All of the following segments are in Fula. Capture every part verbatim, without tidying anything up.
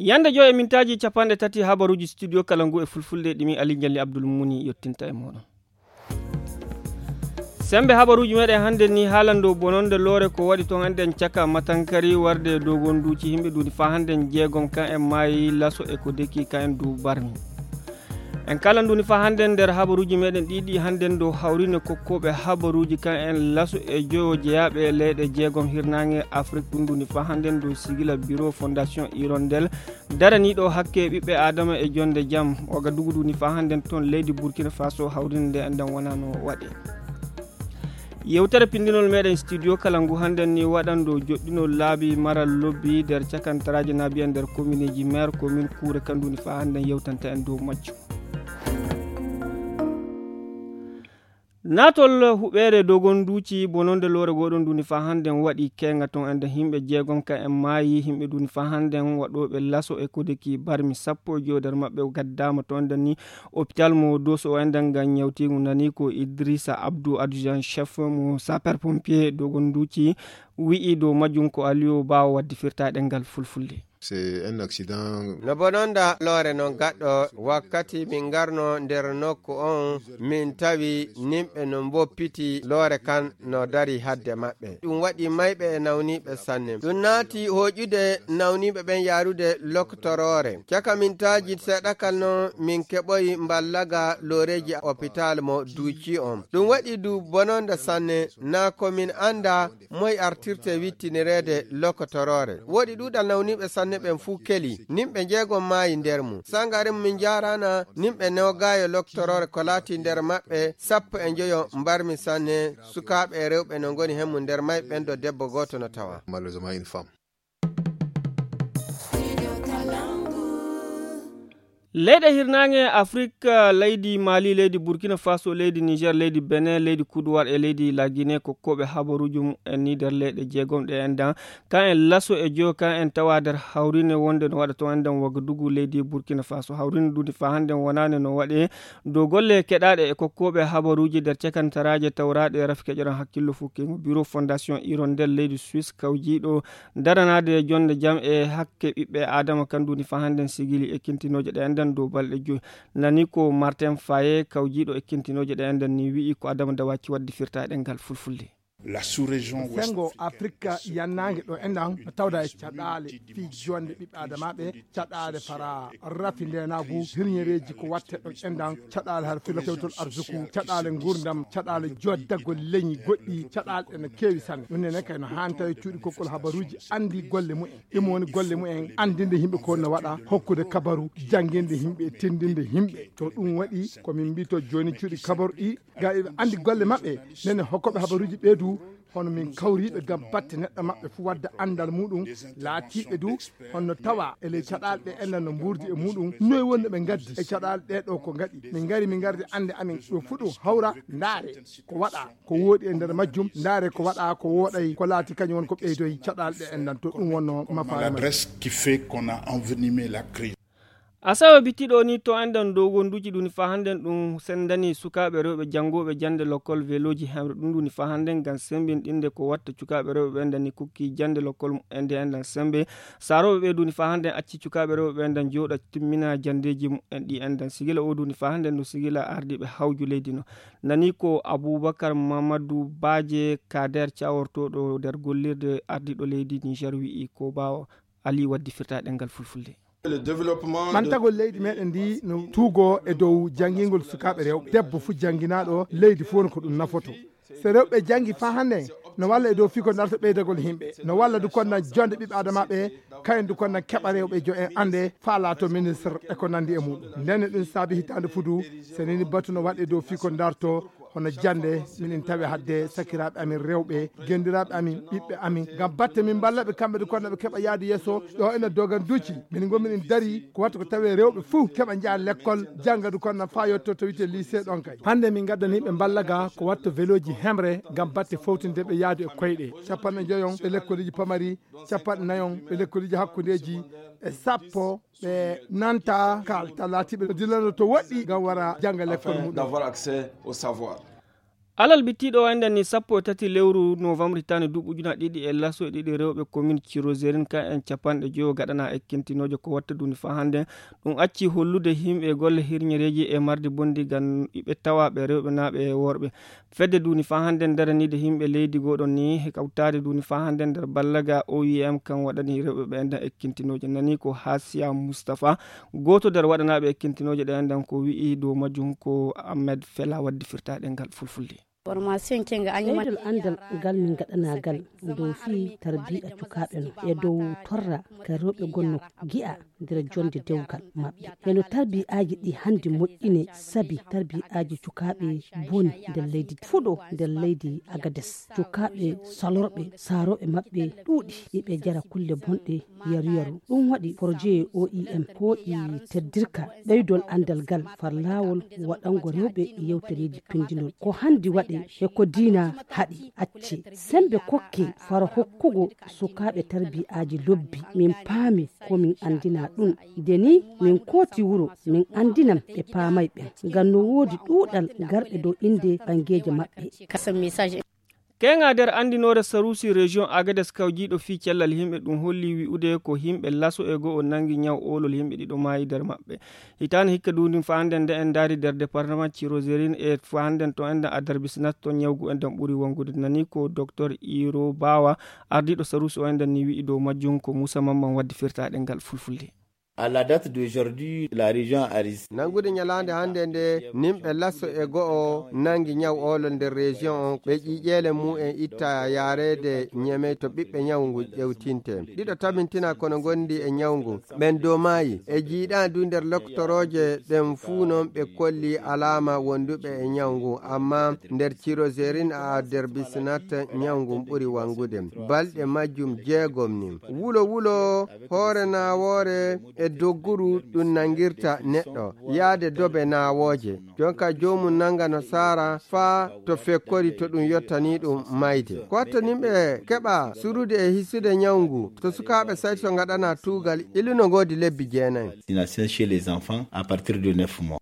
Yande joy e mintaaji capanɗe tati habaruuji studio kala ngu e fulfulde ɗimi Ali Jalli Abdul Muni yottinta e mooɗon. Sembe habaruuji meɗen hannde ni haalando bononde loore ko waɗi toon annden caka matankari warde e dogonduuci himɓe duuni faa hannden jeegom kan en maayi laso e ko deki kan en du barmi. En kala nduuni faa hannden nder habaruuji meɗen ɗiɗi hannden dow hawrine kokkooɓe habaruuji kan en laso e joyo jeyaaɓe e leyɗe jeegom hirnaange Afrik ɗum nduuni faa hannden dow sigila biro fondation Hirondelle daraniiɗo hakke ɓiɓɓe aadama e jonde jam. Oga dugudu ni faa hannden toon leydi Burkina Faso hawrinde nde annden wonaa no waɗe. Yewtere pindinol meɗen studio kala ngu hannden ni waɗando joɗɗinol laabi maral lobbi nder cakantaraaji naabi en nder komineeji maire komin kuure kandu ni faa hannden yewtanta en dow majjum. Naatol huɓeere dogonduuci bononde loore gooɗon duni faa hannden waɗi keenga toon ende himɓe jeegom ka en maayi himɓe duni faa hannden waɗooɓe laso e kodeki barmi sappo e joyo nder maɓɓe gaddaama toon enden ni hôpital mo doso o enden ngam ñawtiigu nani ko Idrissa Abdou adjoint chef mo sapeur pompier dogonduuci wi'i dow majjum ko Aliou Bawo waddi firtaɗe ngal fulfulde. C'est un accident. No bononda loore non gaɗɗo wakkati min ngarno nder nokku on min tawi nimɓe no mboppiti loore kan no dari hadde maɓɓe ɗum waɗi mayɓe e nawniɓe sanne ɗum naati hoƴude nawniɓe ɓen yarude loktoroore caka mintaaji seeɗakal non min keɓoyi mballaga looreji hôpital mo duuci on ɗum waɗi du bononda sanne na ko min anda moy artirte wittinireede lokotoroore woɗi ɗuuɗal nawniiɓe sanne ɓen fuu keli nimɓe njeegom maayi nder mum sangare mum min njaaraana nimɓe newgaayo lokotoroore ko laati nder maɓɓe sappo e njoyo mbarmi sanne sukaaɓe e rewɓe no ngoni hemmu nder may ɓen ɗo debbo gooto no tawa. Leyɗe hirnaange Afrik, leydi Mali, leydi Burkina Faso, leydi Niger, leydi Benin, leydi Kuduwar e leydi La Guinée kokkooɓe habaruuji mumen ni nder leyɗe jeegom ɗe enɗan. Kan en laso e joyo kan en tawa nder hawrine wonde no waɗa toon enɗan Wagadugu leydi Burkina Faso. Hawrine ɗum faa hannden wonaande no waɗe dow golle keɗaaɗe e kokkooɓe habaruuji nder cakantaraaje tawraaɗe rafi keƴoran hakkillo fukkingo Bureau Fondation Hirondelle leydi Suisse kawjiiɗo daranaade jonde jam e hakke ɓiɓɓe aadama kan duni faa hannden sigili ekkintinooje ɗe enɗan dow balɗe joyi nani ko Martin Faye kawjiiɗo ekkintinooje ɗe enɗan ni wi'i ko Adama Dawaki waddi firtaɗe ngal fulfulde. La sous-région sengo afrika yannaange ɗo enɗan no tawda e caɗaale fii jonde ɓiɓɓe aadamaaɓe caɗaale fara rafi ndenaagu hirñereeji ko watte ɗo enɗan caɗaale har filo kewtol arsuku caɗaale ngurdam caɗaale joddagol leñi goɗɗi caɗaale ɗe no keewi sanne ɗum nene kay no haanta e cuuɗi kokkol habaruuji anndi golle mumen ɗum woni golle mumen anndinde yimɓe ko no waɗa hokkude kabaru jannginde yimɓe tinndinde yimɓe to ɗum waɗi ko min mbi to jooni cuuɗi kabaru ɗi ga iɓe anndi golle maɓɓe nene hokkoɓe habaruuji ɓeedu hono min kawriiɓe ngam batte neɗɗo maɓɓe fuu wadda anndal muɗum laatiiɓe du honno tawa e ley caɗaale ɗe enɗan no mbuurdi e muɗum noy wonno ɓe ngaddi e caɗaale ɗe ɗo ko ngaɗi min ngari min ngardi annde amin ɗo fuu ɗum hawra ndaare ko waɗa ko wooɗi e nder majjum ndaare ko waɗa ko wooɗay ko laati kañum won ko ɓeydoy caɗaale ɗe enɗan to ɗum wonno mafaare majjum. L'adresse qui fait qu'on a envenimé la crise. Asawe bittiɗo ni to enɗan dow gonduji ɗum faa hannden ɗum senndani sukaaɓe rewɓe janngooɓe jannde lokkol velooji hemre ɗum ɗum faa hannden ngam semmbinɗinde ko watta cukaaɓe rewɓe ɓe enɗan ni kokki jannde lokkol mumen nde enɗan semmbe saarooɓe ɓe ɗum faa hannden acci cukaaɓe rewɓe ɓe enɗan jooɗa timmina janndeeji mumen ɗi enɗan sigila o ɗum faa hannden no sigila ardiiɓe hawju leydi no nani ko Abubakar Mamadou Baje Kader cawortooɗo nder gollirde ardiiɗo leydi Niger wi'i ko ɓaawo Ali waddi firtaɗe ngal fulfulde. Ɓantagol leydi meɗen ndi no tuugo e dow janngingol sukaaɓe rewɓe debbo fuu jannginaaɗo leydi fuu no ko ɗum nafoto so rewɓe janngi faa hannde no walla e dow fii ko darta ɓeydagol yimɓe no walla du konnan jonde ɓiɓɓe adamaaɓe kayen du konnan keɓa rewɓe jo en annde faa laato ministre e ko nanndi e muɗum ndenne ɗum saabi hitaande fudu so nini batu no waɗe dow fii ko darto hono jannde minen tawi hadde sakiraaɓe amin rewɓe genndiraaɓe amin ɓiɓɓe amin ngam batte min mballaɓe kamɓe de kono ɓe keɓa yaade yeeso ɗo ene dogan duuci min ngon minen dari ko watta ko tawi rewɓe fuu keɓa njaha lekkol jannga du kono faa yotto to wiyte lycée ɗon kay hannde min ngaddani ɓe mballa ga ko watta veloji hemre ngam batte fowtinde ɓe yaadu e koyɗe capanɗe njoyon ɓe lekkoliji pamari capanɗe nayon ɓe lekkoliji hakkundeji e sappo ɓe nanta kalta laatiɓe no dillano to woɗɗi ngam wara jannga lekkol muɗum d'avoir accès au savoir. Alal bittiiɗo o enɗen ni sappo e tati lewru novembre hitaande duuɓi ujunaaji ɗiɗi e laso e ɗiɗi, rewɓe komin ciroserin ka en capanɗe joyo gaɗana ekkintinooje ko watta duuni faa hannden. Ɗum acci hollude yimɓe golle hirñereeji e marde bonndi ngam iɓe tawaaɓe rewɓe naaɓe e worɓe. Fedde duuni faa hannden daraniide yimɓe leydi gooɗon ni e kawtaade duuni faa hannden nder ballaga O I M kan waɗani rewɓe ɓe enɗen ekkintinooje nani ko Hasiya Mustafa, gooto nder waɗanaaɓe ekkintinooje ɗe enɗen ko wi'i dow majjum ko Ahmed Fela waddi firtaaɗe ngal fulfulde. Ɓeydol anndal ngal min ngaɗanaa ngal dow fii tarbiya cukaaɓe no e dow torra ka rewɓe gonno gi'a nder jonnde dewgal maɓɓe. Heno tarbiyaaji ɗi hannde moƴƴine sabi tarbiyaaji cukaaɓe boni nder leydi fuɗo nder leydi Agades. Cukaaɓe salorɓe saarooɓe maɓɓe ɗuuɗi iɓe jara kulle bonɗe yaru yaru. Ɗum waɗi projet O I M hooƴi teddirka ɓeydol anndal ngal far laawol waɗango rewɓe yewtereeji pindinol. Ko hannde waɗe e ko diina haɗi acce. Sembe kokke fara hokkugo sukaaɓe tarbiyaaji lobbi. Min paami ko min anndina ɗum. Nde ni min kooti wuro min anndinan ɓe paamay ɓen. Ngam no woodi ɗuuɗal garɓe dow innde ɓangeeje maɓɓe. Keŋa nder anndinoore saruusi région Agadez kawjiiɗo fii cellal yimɓe ɗum holli wi'ude ko yimɓe laso e go'o nangi ñaw oolol yimɓe ɗiɗo maayi nder maɓɓe. Hitaande hikka duundi faa hannden nde en ndaari nder département Tirozerin e faa hannden to enɗen Adarbisnat to ñawgu enɗen ɓuri wongude. Nani ko Docteur Iro Bawa, ardiiɗo saruusi o enɗen ni wi'i dow majjum ko Moussa Mamman waddi firtaaɗe ngal fulfulde. À la date d'aujourd'hui, la région Aris. Nanngude ñalaande hannde nde, nimɓe laso e go'o nangi ñaw oolo nder région on, ɓe ƴiiƴeele mu'en itta yaareede Ñemey to ɓiɓɓe ñaw ngun ƴewtinte. Ɗiɗo tabintina kono ngondi e ñaw ngun. Ɓen dow maayi. E jiiɗaa du nder loktorooje ɗen fuu non ɓe kolli alaama wonduɓe e ñaw ngun, amma nder Tirozerin a Derbisinat ñaw ngun ɓuri wangude. Balɗe majjum jeegom ni. Wulo wulo, hoore naawoore e dogguru ɗum nangirta neɗɗo, yaade dobe naawooje. Jonka joomum nanga no saara faa to fekkori to ɗum yottani ɗum mayde. Ko watta nimɓe keɓa surude e hisude ñaw ngu to sukaaɓe sayto ngaɗana tuugal ilu no ngoodi lebbi jeenayi. Vaccination chez les enfants à partir de neuf mois.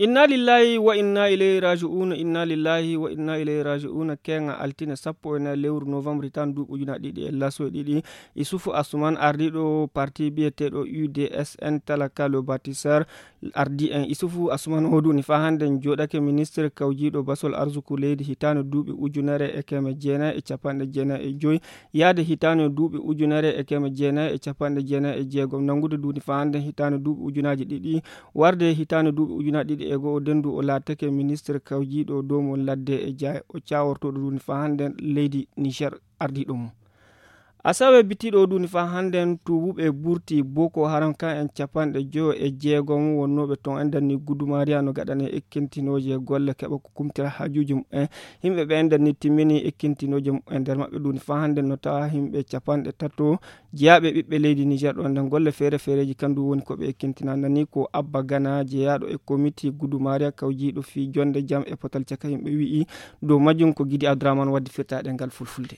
Inna lillahi wa inna ilayhi raji'un, inna lillahi wa inna ilayhi raji'un. Keŋa altine sappo e nayi lewru novembre tan duuɓi ujunaaji ɗiɗi e laso e ɗiɗi. Isufu Asuman, ardiiɗo parti biyeteeɗo U D S N Talaka le Bâtisseur, ardi en. Isufu Asuman o duuni faa hannden jooɗake ministre kawjiiɗo basol arsuku leydi hitaande duuɓi ujunere e keme jeenayi e capanɗe jeenayi e joyi, yaade hitaande duuɓi ujunere e keme jeenayi e capanɗe jeenayi e jeegom, nanngude duuni faa hannden hitaande duuɓi ujunaaji ɗiɗi, warde hitaande duuɓi ujunaaji ɗiɗi e go'o, nden du o laatake ministre kawjiiɗo doomol ladde e ja-, o caawortooɗo duuni faa hannden leydi Niger ardiiɗo mum. Asawe bittiiɗo o duuni faa hannden tuubuɓe burti Boko Haram kan en capanɗe joyo e jeegom wonnooɓe ton enɗen ni Gudumariya no gaɗane ekkintinooje golle keɓa ko kumtira haajuuji mumen. Yimɓe ɓe enɗen ni timmini ekkintinooje mumen, nder maɓɓe duuni faa hannden no tawa yimɓe capanɗe tato jeyaaɓe ɓiɓɓe leydi Niger ɗo nden golle feere feereeji kandu woni ko ɓe ekkintina. Nani ko Abba Gana jeyaaɗo e komiti Gudumariya kawjiiɗo fii jonde jam e potal caka yimɓe wi'i dow majjum ko Gidi Abdourahmane waddi firtaaɗe ngal fulfulde.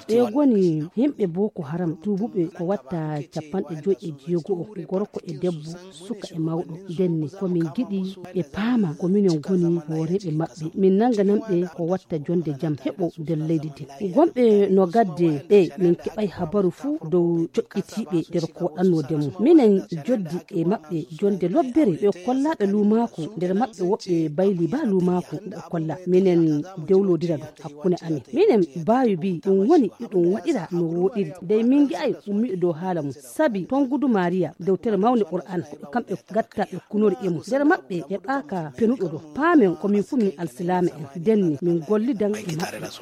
Ɓe ngoni yimɓe Boko Haram tuubuɓe ko watta capanɗe joyi e jeego'o, gorko e debbo, suka e mawɗo. Nden ni ko min ngiɗi ɓe paama ko minen ngoni hooreeɓe maɓɓe. Min nannganan ɓe ko watta jonde jam heɓo nder leydi ndin. Gonɓe no gadde ɓe min keɓay habaru fuu dow coƴƴitiiɓe nder ko waɗannoo ndemo. Minen joddi e maɓɓe jonde lobbere ɓe kollaaɓe luumaaku, nder maɓɓe woɓɓe bayli baa luumaaku ɓe kolla. Minen dewlodira ɗum hakkunde amin. Minen baawi bi ɗum woni ɗum waɗira no woɗiri. Dey min ngi'ay ummiiɗo dow haala mum. Sabi ton Gudu Maariya, dewtere mawnde Qur'an, ko kamɓe gatta ɓe kunori e mum. Nder maɓɓe e ɓaaka penuɗo ɗo. Paamen ko min fuu min alsilaama en. Denni min gollidan e maɓɓe.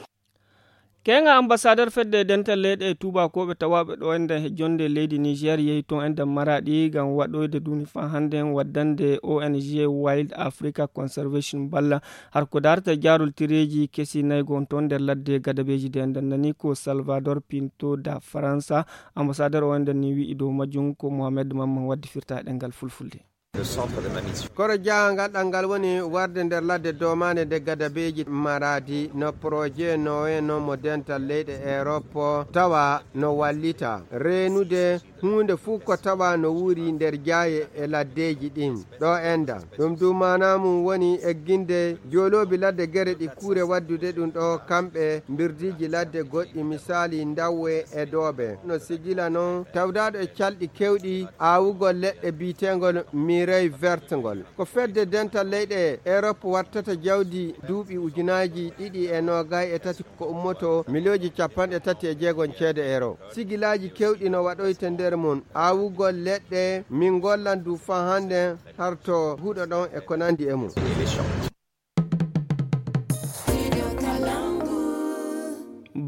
Keŋa ambassadeur fedde dental leyɗe e tuubakooɓe tawaaɓe ɗo enɗen he jonde leydi Niger yehi ton enɗen Maraɗi ngam waɗoyde duuni faa hannden waddande O N G Wild Africa Conservation balla har ko darta jaarol tireeji kesi nayi gon ton nder ladde gadabeeji de enɗen nani ko Salvador Pinto da Faransa, ambassadeur o enɗen ni wi'i dow majjum ko Mohamed Mamman waddi firtaaɗe ngal fulfulde. Koro jahangal ɗal ngal woni warde nder ladde domaande nde gadabeeji Maraadi no projet nowe no mo dental leyɗe Europe tawa no wallita reenude Huunde fuu ko tawa no wuuri nder jaaye e laddeeji ɗin ɗo enɗan. Ɗum du maanaa mum woni egginde jooloobi ladde gere ɗi kuure waddude ɗum ɗo kamɓe mbirdiiji ladde goɗɗi, misaali ndawwe e doobe. No sigila noon tawdaaɗo e calɗi keewɗi aawugol leɗɗe biyeteengol Mireille Verte ngol. Ko fedde dental leyɗe Europe wattata jawdi duuɓi ujunaaji ɗiɗi e noogay e tati ko ummoto miliyooji capanɗe tati e jeegom ceede euro. Sigilaaji keewɗi no waɗoyte nder mum, aawugol leɗɗe, min ngollan du faa hannden harto huɗo ɗon e ko nanndi e mum.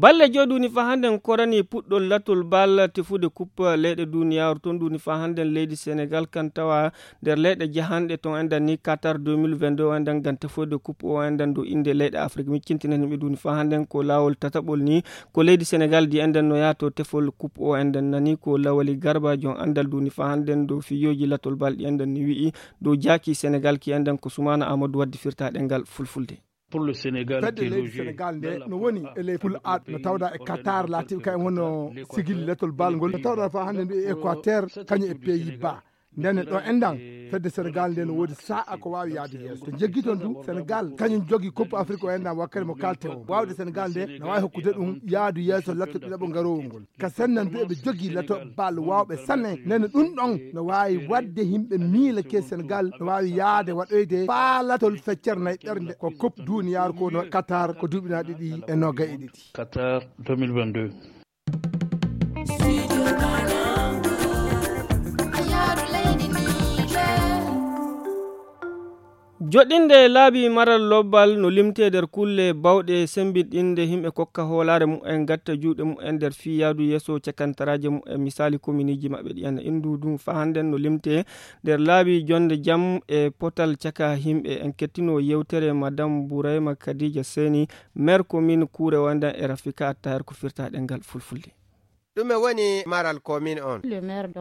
Balle joy duuni faa hannden korani puɗɗol latol bal tefude kup leyɗe duniyaaru toon duuni faa hannden leydi Senegal kan tawa nder leyɗe jahanɗe toon enɗan ni Qatar deux mille vingt-deux o enɗan ngam tefoyde kup o enɗan dow innde leyɗe Afrik. Miccintinan yimɓe duuni faa hannden ko laawol tataɓol ni ko leydi Senegal di enɗan no yaha to tefol kup o enɗan nani ko Lawali Garba jon anndal duuni faa hannden dow fiyooji latol bal ɗi enɗan ni wi'i dow jaaki Senegal ki enɗan ko Sumaana Amadou waddi firta ɗengal fulfulde. Fedde leydi Senegal nde no woni e ley pul A no tawda e Qatar laatiiɓe kayen wonno sigil letol bal ngol no tawda fa hannde ndu e Équateur kañum e Pays-Bas. Ndene ɗo enɗan fedde Senegal nde no woodi sa'a ko waawi yaade yeeso to jeggi toon du Senegal kañum jogi coupe Afrique o enɗan wakkati mo kalte o waawde Senegal nde no waawi hokkude ɗum yaadu yeeso latto ɗiɗaɓo ngaroowo ngol. Ka sennan du eɓe jogii lato bal waawɓe sanne nene ɗum ɗon no waawi waɗde yimɓe miila ke Senegal no waawi yaade waɗoyde faa latol feccere nayi ɓernde ko coupe duniyaaru ko no Qatar ko duuɓi na ɗiɗi e noogay e ɗiɗi. Qatar deux mille vingt-deux. Joɗɗinde laabi maral lobbal no limtee nder kulle bawɗe sembinɗinde yimɓe kokka hoolaare mumen gatta juuɗe mumen nder fii yaadu yeeso cakantaraaje mumen misaali kominiiji maɓɓe ɗi en inndu ɗum faa hannden no limtee nder laabi jonnde jam e potal caka yimɓe. En kettino yewtere madame Bourayma Kadija Seni, maire commune Kuure Wandan e Rafika Attaher ko firta ɗengal fulfulde. Ɗume woni maral komin on?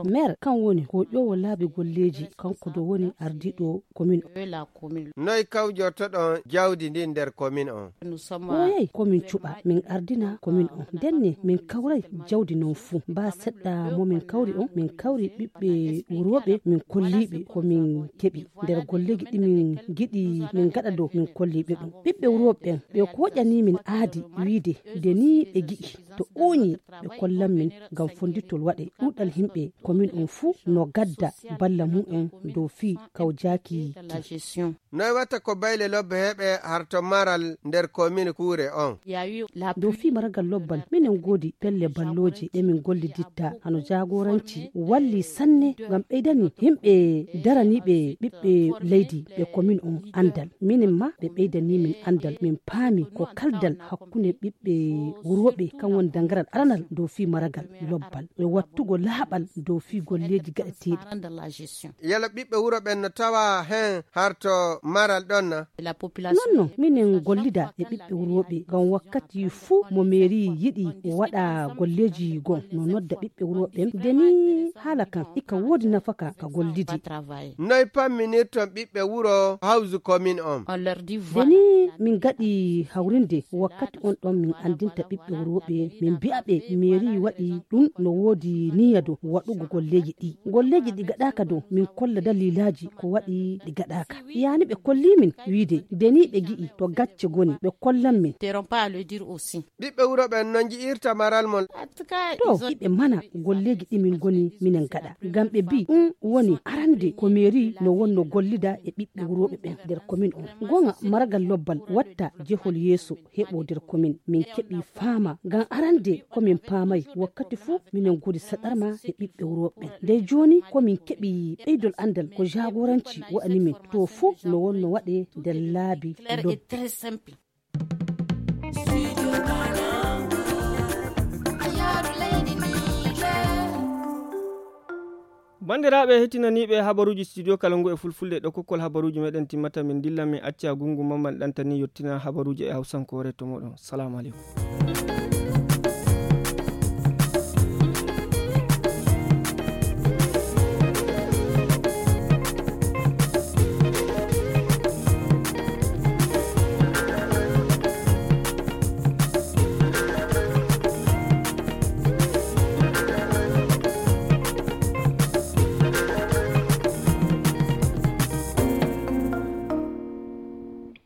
Maire kan woni ko ƴoowo laabi golleeji, kanko do woni ardiiɗo komin on. Noy kawjortoɗon jawdi ndin nder komin on? Ɓooyay ko min cuɓa min ardina komin on. Ndenne min kawray jawdi non fuu. Baa seɗɗa mo min kawri on, min kawri ɓiɓɓe wurooɓe min kolliiɓe ko min keɓi. Nder golleeji ɗi min ngiɗi min ngaɗa dow min kolliiɓe ɗum. Ɓiɓɓe wurooɓe ɓen ɓe kooƴanii min aadi wiide nde nii ɓe gi'i to ooñii ɓe kollan min ngam fondittol waɗe. Ɗuuɗal yimɓe komin on fuu no gadda balla mumen dow fii kawjaaki ki. Noy watta ko bayle lobbe heɓe harto maral nder komin Kuure on? Dow fii maragal lobbal minen ngoodi pelle ballooje ɗe min golliditta hano jaagoranci walli sanne ngam ɓeydani yimɓe daraniiɓe ɓiɓɓe leydi ɓe komin on anndal. Minen ma ɓe ɓeydanii min anndal min paami ko kaldal hakkunde ɓiɓɓe wurooɓe kan woni dangaral aranal dow fii maragal lobbal e wattugo laaɓal dow fii golleeji gaɗeteeɗi. Yala ɓiɓɓe wuro ɓen no tawa hen harto maral ɗon na? Non non minen gollida e ɓiɓɓe wurooɓe ngam wakkati fuu mo meeri yiɗi waɗa golleeji gon no nodda ɓiɓɓe wurooɓe ɓen ndeni haala kan ika woodi nafaka ka gollidi. Noy pamminirton ɓiɓɓe wuro hawsu komin on? Ndeni min gaɗi hawrinde wakkati on ɗon min anndinta ɓiɓɓe wurooɓe min mbi'a ɓe meeri waɗi ɗum no woodi niyya dow waɗugo golleeji ɗi golleeji ɗi gaɗaaka dow min kolla daliilaaji ko waɗi ɗi gaɗaaka. Yaani ɓe kolli min wiide ndeni ɓe gi'i to gacce goni ɓe kollan min. Ɓiɓɓe wuro ɓen no nji'irta maral mon? To iɓe mana golleeji ɗi min ngoni minen gaɗa ngam ɓe mbi ɗum woni arande ko meeri no wonno gollida e ɓiɓɓe wurooɓe ɓen nder komin on. Goŋa maragal lobbal watta jehol yeeso heɓo nder komin min keɓi faama ngam arande ko min paamay wakkati fuu minen ngoodi saɗarma e ɓiɓɓe wurooɓe ɓen. Ndey jooni ko min keɓi ɓeydol anndal ko jaagoranci wa'ani min to fuu no wonno waɗe nder laabi lobbi. Banndiraaɓe heɗtinaniiɓe habaruuji studio kala ngu e fulfulde ɗo kokkol habaruuji meɗen timmata min ndilla min acca gungu mamman ɗantani yottina habaruuji e hawsankoore to moɗon. Salamu aleykum.